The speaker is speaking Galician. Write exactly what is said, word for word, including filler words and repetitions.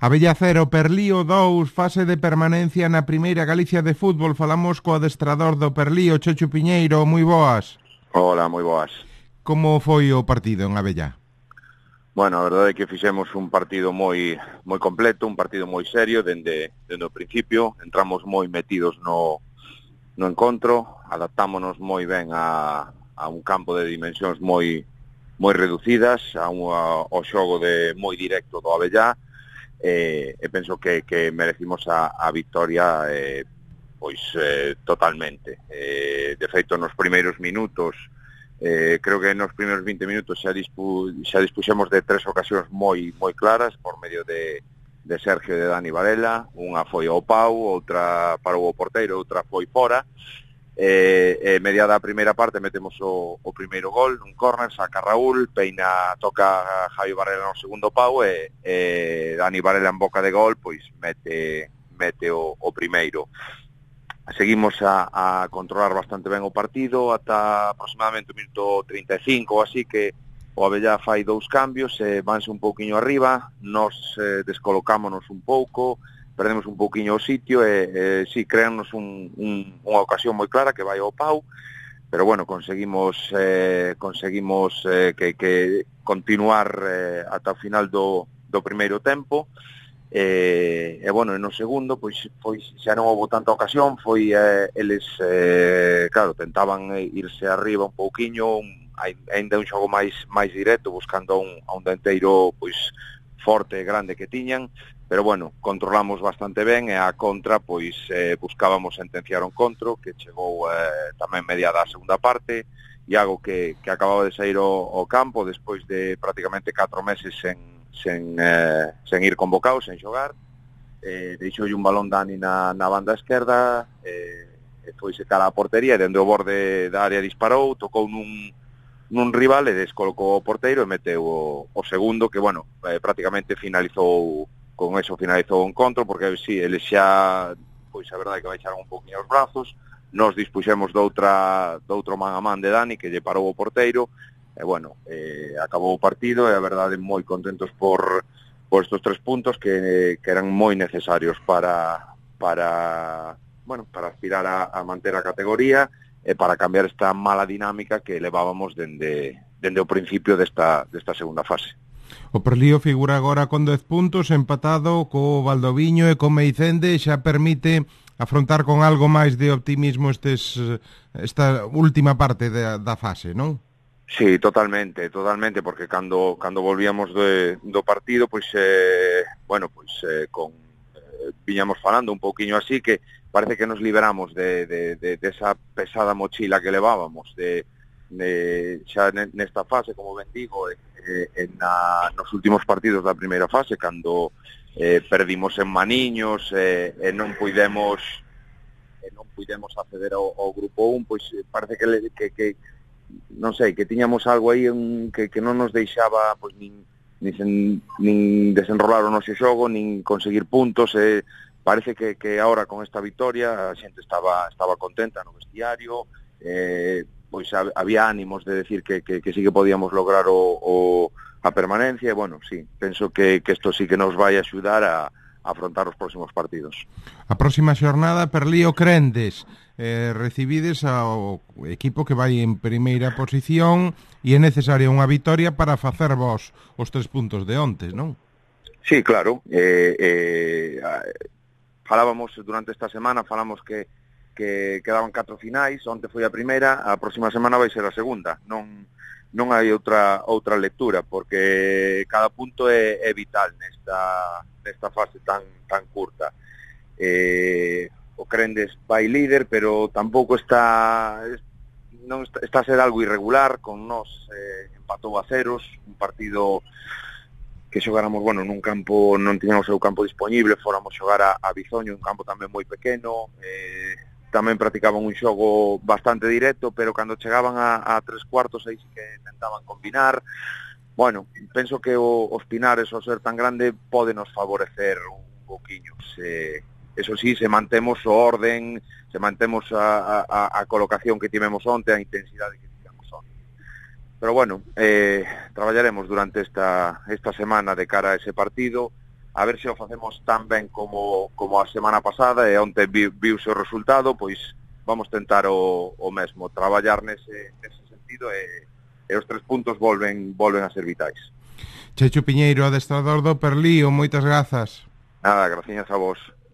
Abella cero, Perlío dous, fase de permanencia na primeira Galicia de fútbol. Falamos co adestrador do Perlío, Chechu Piñeiro, moi boas. Hola, moi boas. Como foi o partido en Abella? Bueno, a verdade é que fixemos un partido moi moi completo, un partido moi serio dende, dende o principio. Entramos moi metidos no, no encontro, adaptámonos moi ben a, a un campo de dimensións moi moi reducidas, a un, a, ao xogo de moi directo do Abellá. E, e penso que, que merecimos a, a victoria eh, pois eh, totalmente. Eh, de feito, nos primeiros minutos, eh, creo que nos primeiros vinte minutos xa, dispu, xa dispuxemos de tres ocasións moi moi claras por medio de, de Sergio e de Dani Varela. Unha foi ao pau, outra parou o porteiro, outra foi fora. E, e mediada a primeira parte metemos o, o primeiro gol, un córner, saca Raúl, peina, toca a Javi Varela no segundo pau e, e Dani Varela en boca de gol, pois mete mete o, o primeiro. Seguimos a, a controlar bastante ben o partido ata aproximadamente o minuto trinta e cinco ou así, que o Abellá fai dous cambios e vanse un pouquiño arriba, nos eh, descolocámonos un pouco, perdemos un pouquiño o sitio e, e sí, créannos un, un, unha ocasión moi clara que vai ao pau, pero bueno, conseguimos eh, conseguimos eh, que, que continuar eh, ata o final do, do primeiro tempo e, e bueno, no segundo pois foi, xa non houve tanta ocasión, foi eh, eles eh, claro, tentaban irse arriba un pouquiño, un, ainda un xogo máis máis directo, buscando a un, a un denteiro pois forte e grande que tiñan, pero bueno, controlamos bastante ben e a contra, pois eh, buscábamos sentenciar o encontro, que chegou eh, tamén mediada a segunda parte, Iago que, que acababa de sair ao, ao campo despois de prácticamente catro meses sen, sen, eh, sen ir convocado, sen xogar, eh, deixoulle un balón Dani na, na banda esquerda, eh, e foi cara a portería, e dende o borde da área disparou, tocou nun nun rival e descolocou o porteiro e meteu o, o segundo, que, bueno, eh, prácticamente finalizou, con eso finalizou o encontro, porque, si, sí, eles xa, pois, a verdade que baixaron un poquinho os brazos, nos dispuxemos doutra, doutro man a man de Dani, que lle parou o porteiro, e, bueno, eh, acabou o partido, e, a verdade, moi contentos por, por estos tres puntos que, que eran moi necesarios para, para, bueno, para aspirar a, a manter a categoría, e para cambiar esta mala dinámica que levábamos dende, dende o principio desta, desta segunda fase. O Perlío figura agora con dez puntos, empatado co Valdoviño e co Meicende, xa permite afrontar con algo máis de optimismo estes, esta última parte da, da fase, non? Sí, totalmente, totalmente, porque cando cando volvíamos de, do partido, pois, eh, bueno, pois, eh, con, eh, viñamos falando un pouquiño así, que parece que nos liberamos de, de, de, de esa pesada mochila que levábamos de, de xa nesta fase, como ben digo, eh, en na, nos últimos partidos da primeira fase, cando eh, perdimos en Maniños e eh, eh, non puidemos eh, non puidemos acceder ao, ao grupo un, pois parece que, que, que non sei, que tiñamos algo aí un, que, que non nos deixaba pois nin, nin, nin desenrolar o noso xogo, nin conseguir puntos, e eh, parece que, que ahora con esta victoria a xente estaba estaba contenta no vestiario, eh, pois había ánimos de decir que, que, que sí que podíamos lograr o, o, a permanencia, e bueno, sí, penso que, que isto sí que nos vai axudar a, a afrontar os próximos partidos. A próxima xornada, Perlío Crendes, eh, recibides ao equipo que vai en primeira posición e é necesaria unha victoria para facer vos os tres puntos de ontes, non? Sí, claro, eh, eh, falábamos durante esta semana, falamos que, que quedaban catro finais, onte foi a primeira, a próxima semana vai ser a segunda, non non hai outra outra lectura, porque cada punto é, é vital nesta nesta fase tan tan curta. Eh, o Crendes vai líder, pero tampouco está non está, está a ser algo irregular, con nós eh, empatou a ceros, un partido que xogáramos, bueno, nun campo, non tiñamos o campo disponible, fóramos xogar a, a Bizoño, un campo tamén moi pequeno, eh, tamén practicaban un xogo bastante directo, pero cando chegaban a, a tres cuartos aí sí que intentaban combinar. Bueno, penso que o, os Pinares, ao ser tan grande, pode nos favorecer un poquinho. Se, eso sí, se mantemos o orden, se mantemos a, a, a colocación que tivemos onte, a intensidade que tivemos onte. Pero bueno, eh, traballaremos durante esta, esta semana de cara a ese partido, a ver se o facemos tan ben como, como a semana pasada, e onte vi, viuse o resultado, pois vamos tentar o, o mesmo, traballar nese, nese sentido, e, e os tres puntos volven, volven a ser vitais. Checho Piñeiro, adestrador do Perlío, moitas grazas. Nada, gracias a vos.